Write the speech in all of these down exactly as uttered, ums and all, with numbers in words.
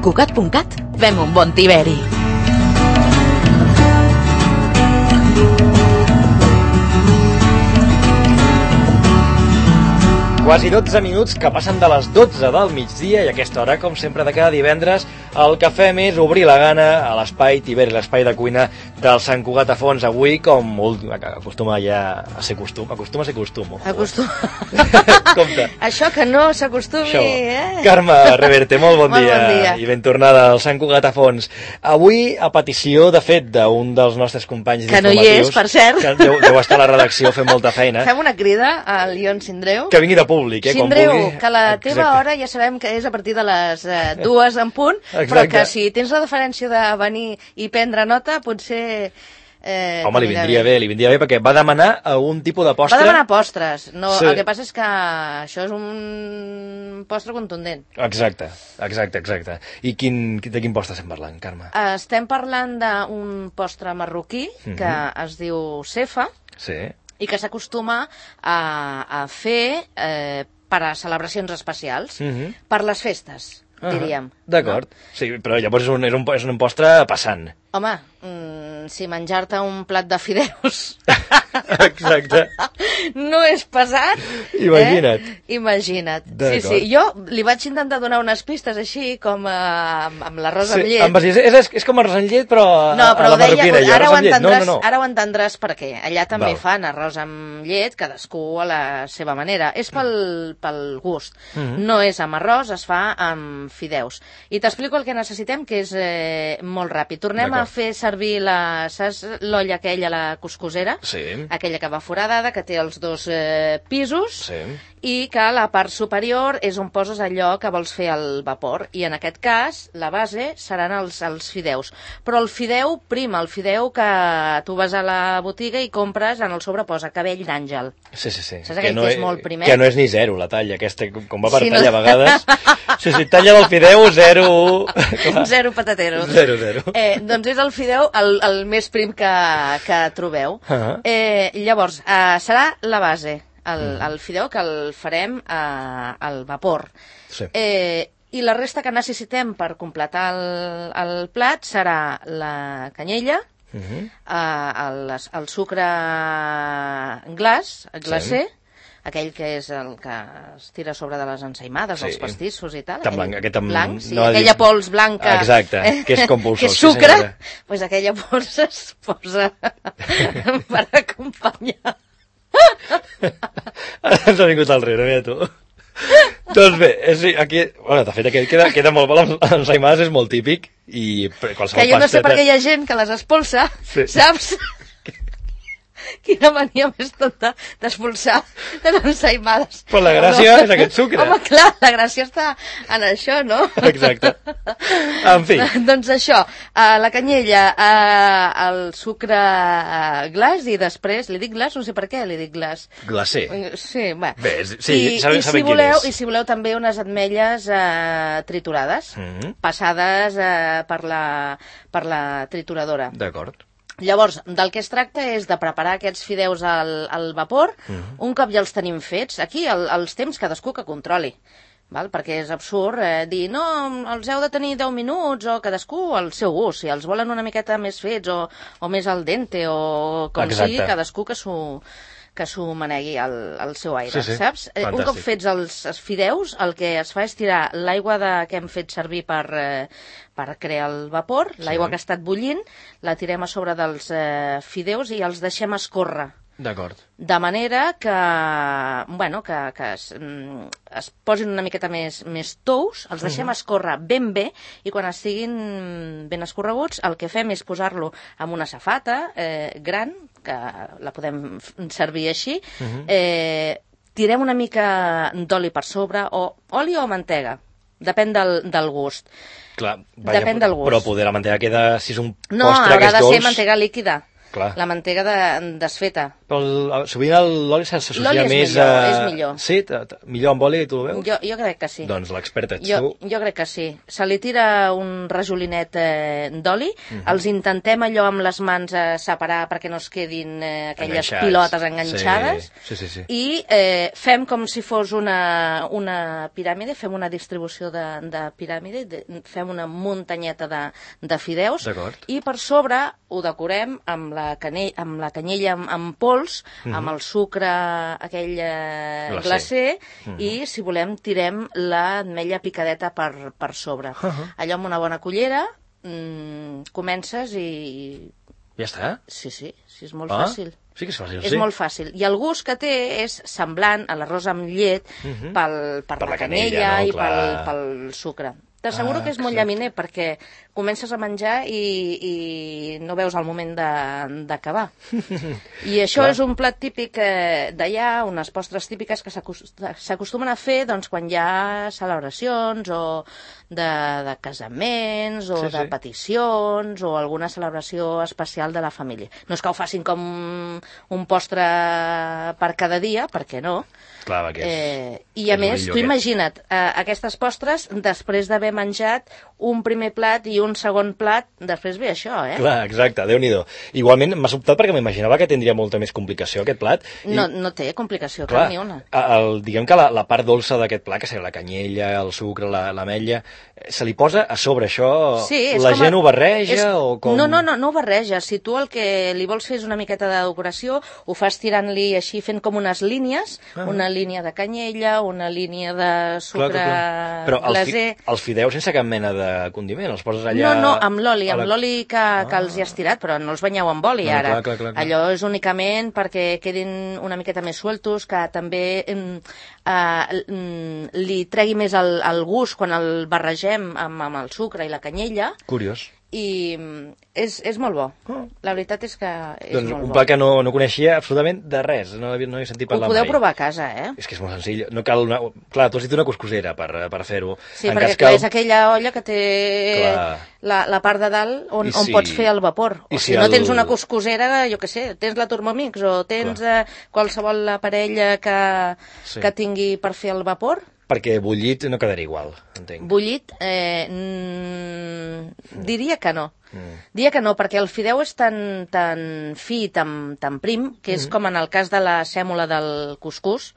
Cugat punt cat fem un bon tiberi. Quasi dotze minuts que passen de les dotze del migdia i a aquesta hora, com sempre de cada divendres, el que fem és obrir la gana a l'espai Tiberi, l'espai de cuina del Sant Cugat a Fons. Avui, com acostuma ja a ser costum, acostuma a ser costum. Acostuma. Compte. Això que no s'acostumi, Això. eh? Carme Reverte, molt bon, Molt dia, bon dia. i ben tornada al Sant Cugat a Fons. Avui, a petició, de fet, d'un dels nostres companys que no hi és, per cert, que deu, deu estar a la redacció fent molta feina, fem una crida al Ion Sindreu. que vingui de públic, eh, Sindreu, quan vulgui. que la Exacte. teva hora ja sabem que és a partir de les eh, dues en punt, Exacte. però que si tens la deferència de venir i prendre nota, potser... Eh, Home, li vindria bé. bé, li vindria bé, perquè va demanar algun tipus de postre. Va demanar postres. No, Sí. El que passa és que això és un postre contundent. Exacte, exacte, exacte. I quin, de quin postre estem parlant, Carme? Eh, Estem parlant d'un postre marroquí que Mhm. es diu cefa Sí. i que s'acostuma a, a fer eh, per a celebracions especials, Mhm. per les festes, Ah, diríem. D'acord. Sí, però llavors és un, és un, és un postre passant. Home, mm, si menjar-te un plat de fideus Exacte. no és pesat... Imagina't. Eh? Imagina't. Sí, D'acord. sí. Jo li vaig intentar donar unes pistes així, com eh, amb, amb l'arròs amb llet. Amb, és, és, és com arròs amb llet, però No, a, però a la ho deia, marroquina. i ara, arròs ho amb llet. entendràs, No, no, no. ara ho entendràs perquè allà també Val. fan arròs amb llet, cadascú a la seva manera. És pel, pel gust. Mhm. No és amb arròs, es fa amb fideus. I t'explico el que necessitem, que és eh, molt ràpid. Tornem a D'acord. fer servir la, saps, l'olla aquella, la cuscosera, Sí. aquella que va foradada, que té els dos eh, pisos, Sí. i que la part superior és on poses allò que vols fer al vapor. I en aquest cas, la base seran els, els fideus. Però el fideu prim, el fideu que tu vas a la botiga i compres, en el sobre posa cabell d'àngel. Sí, sí, sí. Saps aquell que és molt primet? Que no és ni zero, la talla, aquesta, com va per Sí, no? talla a vegades. Sí, sí, talla del fideu, zero... Clar. Zero patateros. Zero, zero. Eh, doncs és el fideu el, el més prim que, que trobeu. Ah. Eh, llavors, eh, serà la base, el, el fideu que el farem eh, al vapor. Sí. Eh, I la resta que necessitem per completar el, el plat serà la canyella, Mhm. eh, el, el sucre glaç, glacé, aquell que és el que es tira sobre de les ensaïmades, Sí. els pastissos i tal. Tan aquell blanc, aquest amb- blanc, sí, no ha dit- aquella pols blanca. Exacte, que és compulsor, que és sí, sucre, senyora. pues aquella pols es posa per acompanyar. Ara ens ha vingut al rere, mira tu. Doncs bé, és, aquí, bueno, de fet, aquest queda, queda molt bo, les ensaïmades és molt típic, i qualsevol Que jo no sé pasteta... per què hi ha gent que les expulsa, Sí. saps? Quina mania més tonta d'expulsar de les ensaïmades. Però la gràcia és aquest sucre. Home, clar, la gràcia està en això, no? Exacte. En fi. Doncs això, eh, la canyella, eh, el sucre eh, glaç i després, li dic glaç, no sé per què li dic glaç. Glacé. Sí, bé. Bé, és- sí, I, sabem- i, si sabem quin voleu, és. I si voleu també unes ametlles eh, triturades, Mhm. passades eh, per, la, per la trituradora. D'acord. Llavors, del que es tracta és de preparar aquests fideus al, al vapor, Mhm. un cop ja els tenim fets. Aquí el, els temps cadascú que controli, val? Perquè és absurd eh, dir no, els heu de tenir deu minuts o cadascú al seu gust, si els volen una miqueta més fets o, o més al dente o com Exacte. sigui, cadascú que s'ho que s'ho manegui al, al seu aire, Sí, sí. saps? Eh, un Fantàstic. cop fets els, els fideus, el que es fa és tirar l'aigua de, que hem fet servir per, eh, per crear el vapor, l'aigua Sí. que ha estat bullint, la tirem a sobre dels eh, fideus i els deixem escórrer. D'acord. De manera que, bueno, que, que es, mm, es posin una miqueta més, més tous, els deixem escórrer ben bé i quan estiguin ben escorreguts el que fem és posar-lo en una safata eh, gran, que la podem f- servir així, eh, tirem una mica d'oli per sobre, o oli o mantega, depèn del, del gust. Clar, vaja, Depèn del gust. Però poder la mantega queda, si és un No, postre que haurà és de dolç... ser mantega líquida. Clar. La mantega de, desfeta. Però el, sovint l'oli s'associa L'oli és més millor, a... és millor. Sí? T- t- millor amb oli, tu ho veus? Jo, jo crec que sí. Doncs l'experta ets Jo, tu. jo crec que sí. Se li tira un rajolinet eh, d'oli, Mhm. els intentem allò amb les mans eh, separar perquè no es quedin eh, aquelles Enganxats. pilotes enganxades, Sí, sí, sí. sí. i eh, fem com si fos una, una piràmide, fem una distribució de, de piràmide, de, fem una muntanyeta de, de fideus, D'acord. i per sobre ho decorem amb la, cane amb la canyella amb, amb pols, Mhm. amb el sucre aquell eh, Glacé. glacé, Mhm. i, si volem, tirem l'ametlla picadeta per, per sobre. Uh-huh. Allò amb una bona cullera, mmm, comences i... Ja està? Sí, sí, sí, és molt Ah, fàcil. sí que és fàcil, És sí. molt fàcil. I el gust que té és semblant a l'arròs amb llet Mhm. pel, per, Per la la canella, canella, no? i pel, Clar. pel sucre. T'asseguro Ah, que és molt exacte. llaminer perquè comences a menjar i, i no veus el moment de- d'acabar. I això Clar. és un plat típic eh, d'allà, unes postres típiques que s'acos- s'acostumen a fer doncs, quan hi ha celebracions o de, de casaments o Sí, de sí. peticions o alguna celebració especial de la família. No és que ho facin com un postre per cada dia, perquè no. Clar, que és... Eh, I a és més, millor tu aquest. imagina't, eh, aquestes postres, després d'haver menjat un primer plat i un segon plat, després ve això, eh? Clar, exacte, Déu-n'hi-do. Igualment, m'ha sobtat perquè m'imaginava que tindria molta més complicació aquest plat. I, No, no té complicació, clar, cap ni una. el, diguem que la, la part dolça d'aquest plat, que seria la canyella, el sucre, la- l'ametlla, eh, se li posa a sobre això? Sí, és la com a- gent ho barreja és... o com... No, no, no, no ho barreja. Si tu el que li vols fer és una miqueta de decoració, ho fas tirant-li així, fent com unes línies, Ah. una línia de canyella, una línia de sucre Clar, clar, clar. Però els, fi, glaser... els fideus sense cap mena de condiment, els poses allà... No, no, amb l'oli, a amb la- l'oli que, que els hi has tirat, però no els banyeu amb oli, No, no, ara. clar, clar, clar, clar. Allò és únicament perquè quedin una miqueta més sueltos, que també mm, eh, mm, li tregui més el, el gust quan el barregem amb, amb el sucre i la canyella, Curiós. i mm, és, és molt bo. Oh. La veritat és que és Doncs molt un bo. plat que no, no coneixia absolutament de res, no, havia- no he sentit Ho parlar podeu mai. provar a casa, eh? És que és molt senzill, no cal una... Clar, tu has dit una coscosera per, per fer-ho. Sí, En perquè cas clar, que- és aquella olla que té Clar. la, la part de dalt on, I on si- pots fer el vapor. i O si si no el- tens una coscosera, jo què sé, tens la Thermomix o tens eh, qualsevol aparell que, Sí. que tingui per fer el vapor, Perquè bullit no quedaria igual, entenc. bullit, eh, mm, diria que no. Mm. Diria que no, perquè el fideu és tan, tan fi, tan, tan prim, que és Mm. com en el cas de la sèmola del cuscús,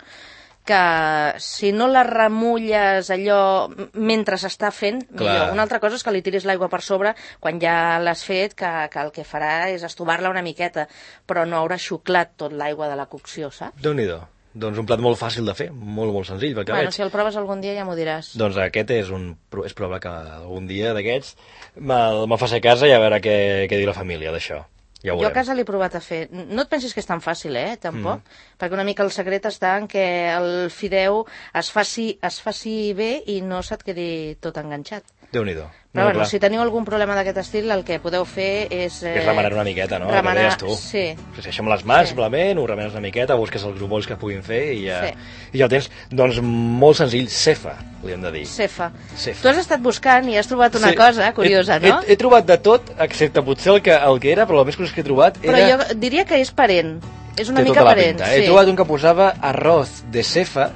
que si no la remulles allò mentre s'està fent, Clar. millor. Una altra cosa és que li tiris l'aigua per sobre quan ja l'has fet, que, que el que farà és estovar-la una miqueta, però no haurà xuclat tot l'aigua de la cocció, saps? Déu-n'hi-do. Doncs un plat molt fàcil de fer, molt, molt senzill, pel que Bueno, veig. si el proves algun dia ja m'ho diràs. Doncs aquest és un... és probable que algun dia d'aquests me'l me'l faci a casa i a veure què, què diu la família d'això. Ja ho Jo a veurem. casa l'he provat a fer. No et pensis que és tan fàcil, eh, tampoc, mm. perquè una mica el secret està en que el fideu es faci, es faci bé i no se't quedi tot enganxat. Déu-n'hi-do. Però No, bueno, clar. si teniu algun problema d'aquest estil, el que podeu fer és... Eh, És remenar una miqueta, no? Remenar, El que deies tu. sí. Sí, això amb les mans, Sí. simplement, ho remenes una miqueta, busques els grumolls que puguin fer i ja, Sí. i ja el tens. Doncs molt senzill, cefa, li hem de dir. Cefa. Cefa. Tu has estat buscant i has trobat una Sí. cosa curiosa, he, no? He, he trobat de tot, excepte potser el que, el que era, però el més curiós que he trobat Però era... jo diria que és parent. És una Té mica tota la parent. pinta. Sí. He trobat un que posava arroz de cefa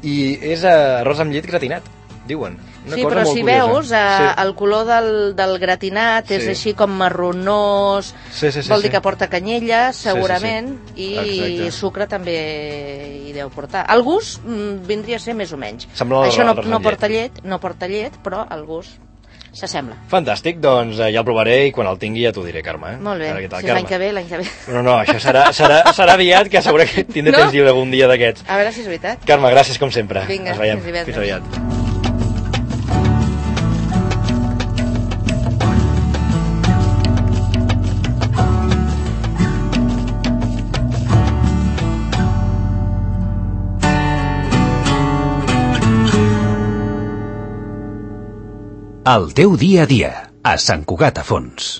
i és eh, arròs amb llet gratinat, diuen. Una Sí, cosa però molt si curiosa. veus, eh, el color del, del gratinat és Sí. així com marronós, Sí, sí, sí, vol dir sí. que porta canyella, sí, segurament, sí. i Exacte. sucre també hi deu portar. El gust mm, vindria a ser més o menys. Sembla Això no, l'arròs no amb porta llet. llet, no porta llet, però el gust s'assembla. Fantàstic, doncs eh, ja el provaré i quan el tingui ja t'ho diré, Carme. Eh? Molt bé, A veure què tal, si és l'any Carme. que ve, l'any que ve. No, no, això serà, serà, serà aviat, que segur que tindré No? temps lliure algun dia d'aquests. A veure si és veritat. Carme, gràcies com sempre. Vinga, Ens veiem. fins divendres. Fins aviat. El teu dia a dia, a Sant Cugat a Fons.